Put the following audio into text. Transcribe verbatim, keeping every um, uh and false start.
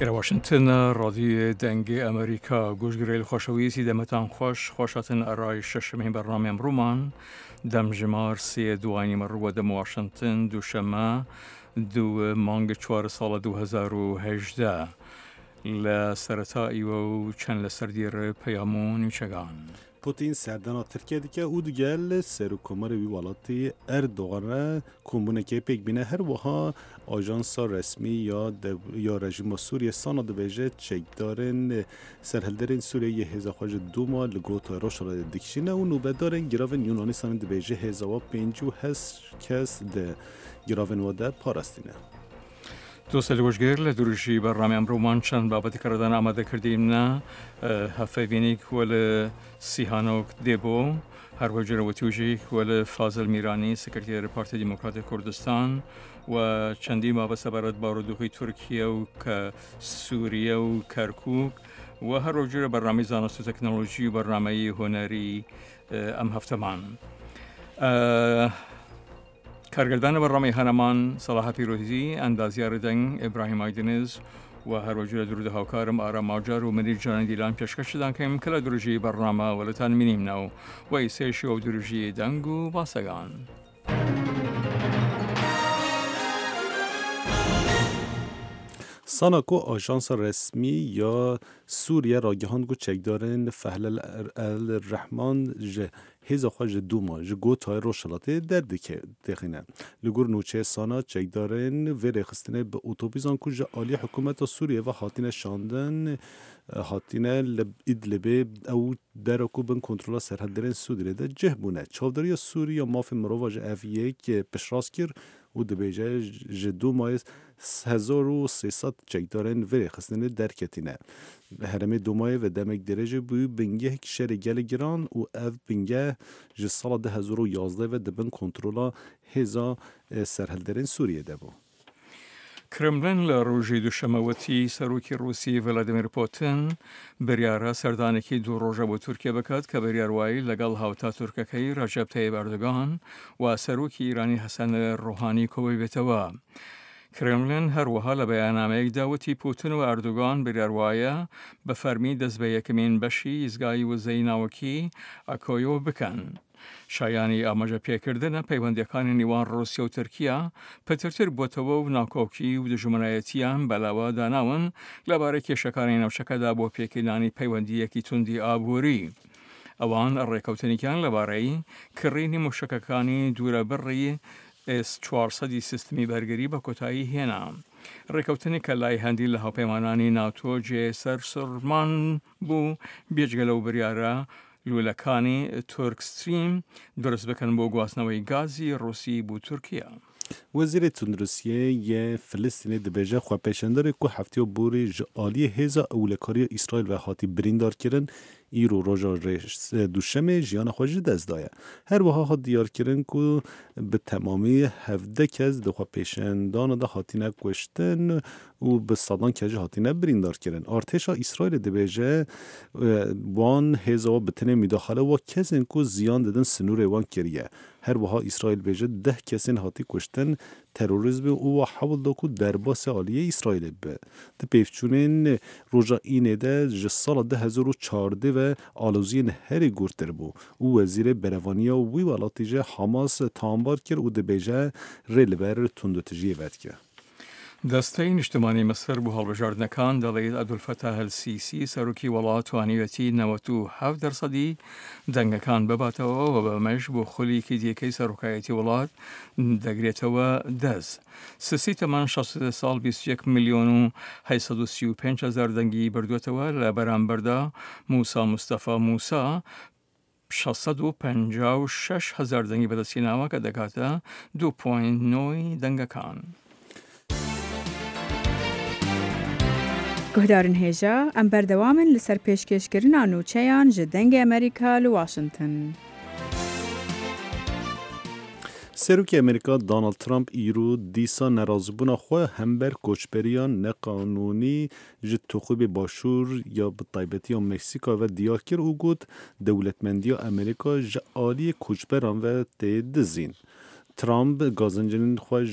ئێرە واشنتن ڕادیۆ دەنگی ئەمریکا گوشگرەیل خوەشەویسی دەمەتان خوەش خوەشاتن ئەرای شەشمین بەرنامەی ئمڕوومان دەمژمار سێ دوای نیمەڕوو وە دەم واشنتن دووشەممە دوو مانگ چوار ساڵە دوو هەزار و هەژدە لە سەرەتا ئیوە و چەند لە سەردێڕ پەیام و نوچەگان. Putin serdana Tirkiye dike û digel Serokkomarê wî welatî Erdogan re kombûnekê pêk bîne. Her wiha ajansa resmî ya ya rejîma Sûriye Sana dibêje çekdarên serhilderên Sûriye yê hêza xwe ji Dûma li Gotayê Rojhilatê dikişîne û nûbedarên giravên Yunanistanê dibêje hêza wa pêncî û heşt kes di giravên we de parastîne. دوستە لەگوشگر لە دروژی بەرنامەی ئەمڕۆمان چەند بابەتی کەڕدان ئامادە کردیمنە هەفەیڤینیک وەل سیهانۆک دێبۆ هەروەجرە وتوژیک وەل فازل میرانی سکرتێر پارتی دیموکراتی کوردستان و چەندین بابەت سەبارەت بارودۆخی تورکیە و کە سووریە و کەرکوک و هەروەجرە بەرنامەی زانست و تەکنەلۆژی و بەرنامەی هونەری ئەم هەفتەمان. کارگردان بەرنامەی هەنەمان سەڵاح پیرۆزی، ئەندازیار دەنگ ئیبراهیم ئایدنز و هەروەجرە درود هاوکارم ئارام ماجار و منیر جانان دیلان پێشکەشدان کەیم کە لە درژی بەرنامە وەلتان مینیمنەوە و ئیسێشی و درژی دەنگ و باسەگان. Sana ku ajansa resmî ya Sûriye ragihand ku çekdarên Fehlel El Rehman ji hêza xwe ji Dûma ji Gotayê Rojhilatê derdixîne. Li gor nûçeyê Sana çekdarên vê rêxistinê bi otobîsan ku ji aliyê hikûmeta Sûriyê ve hatine şandin hatine li Idlibê ew dera ku bin kontrola serhilderên Sûriyê de cih bûne. Çavdêriya Sûrî ya mafên mirova ji ev yek piştrast kir û dibêje ji Dûmayê hezar û sê sed çekdarên vê rêxistinê derketîne. Herêmê Dûmayê ve demek dirêjê bû bingehek şerê gelê giran û ev bingeh ji sala du hezar û yazdeh ve di bin kontrola hêza serhilderên Sûriyê de bû. کرملن لە ڕۆژی دووشەمەوەتی سەرۆکی ڕووسی ڤلادیمیر پوتین بڕیارە سەردانێکی دوو ڕۆژە بۆ تورکیا بکات کە بڕیار وای لەگەڵ هاوتا تورکەکەی ڕەجەب تەیب ئەردۆگان و سەرۆکی ئیرانی حەسەن ڕۆحانی کۆببێتەوە. کرملن هەروەها لە بەیاننامەیەکدا وتی پوتین و ئەردۆگان بڕیار وایە بە فەرمی دەست بە یەکەمین بەشی ئیزگای وزەی ناوەکی ئەکۆیۆ بکەن. شایانی ئاماژە پێکردنە پەیوەندیەکانی نێوان ڕوسیا و تورکیا پترتر بۆتەوە و ناکۆکی و دژمنایەتیان بەلاوە داناون لەبارەی کێشەکانی ناوچەکەدا بۆ پێکهێنانی پەیوەندیەکی توندی ئابووری. ئەوان ڕێکەوتنێکیان لەبارەی کڕینی موشەکەکانی دوورەبڕی ئێس چوارسەدی سیستمی بەرگری بە کۆتایی هێنا. ڕێکەوتنی کە لای هەندی لە هاوپەیمانانی ناتۆ جێ سەرسوڕمان بوو بێجگە لەو بریارە لوولەکانی تورک ستریم دروست بکەن بۆ گواستنەوەی گازی ڕوسی بۆ تورکیا. وەزیرê Tunduristiyê yê Filistînê dibêje xwepêşanderê ku hefteya borî ji aliyê hêza ewlekariya Îsraîl ve hatî birîndarkirin îro roja duşemê jiyana xwe ji dest daye. Her wiha hat diyarkirin ku bi temamî hevdeh kes di xwepêşandana de hatine kuştin û bi sedan kes jî hatine birîndarkirin. Artêşa Îsraîlê dibêje wan hêza we bi tenê müdaxale wa kesên ku ziyan didin sinûrê wan kiriye. Her wiha Îsraîl bêje deh kesên hatî kuştin terorîzmê û wa hewl da ku derbasê aliyê Îsraîlê bibe. Di pêvçûnên roja Înê de ji sala du hezar û çardeh ve aloziyên herî gurtir bû û wezîrê berevaniya wî welatî ji Hamas tambar kir û dibêje rê li ber tundûtijiyê vedike. دەستەی نیشتمانی میسر بۆ هەڵبژاردنەکان دەڵێت عەبدولفەتاح ئەلسیسی سەرۆکی وڵات توانیویەتی نەوەت و حەفت دەرسەدی دەنگەکان بباتەوە و بەمەش بۆ خولیکی دیکەی سەرۆکایەتی وڵات دەگرێتەوە دەست. سسی تەمان شەست و سێ ساڵ بیست و یەک ملیۆن و هەشت سەد و سی و پێنج هەزار دەنگی بردووەتەوە، لە بەرامبەردا موسا مستەفا موسا شەش سەد و پەنجا و شەش هەزار دەنگی بەدەستهێناوە کە دەکاتە دوو پۆینت نۆی دەنگەکان. Guhdarên hêja, em berdewam in li ser pêşkêşkirina nûçeyan ji Dengê Amerîka li Washington. Serokê Amerîka Donald Trump îro dîsa nerazîbûna xwe hember koçberiya neqanûnî ji Toxubê Başûr ya bi taybetî ya Meksîka ve diyar kir û got dewletmendiya Amerîka ji aliyê koçberan ve tê dizîn. Trump gazincên xwe ji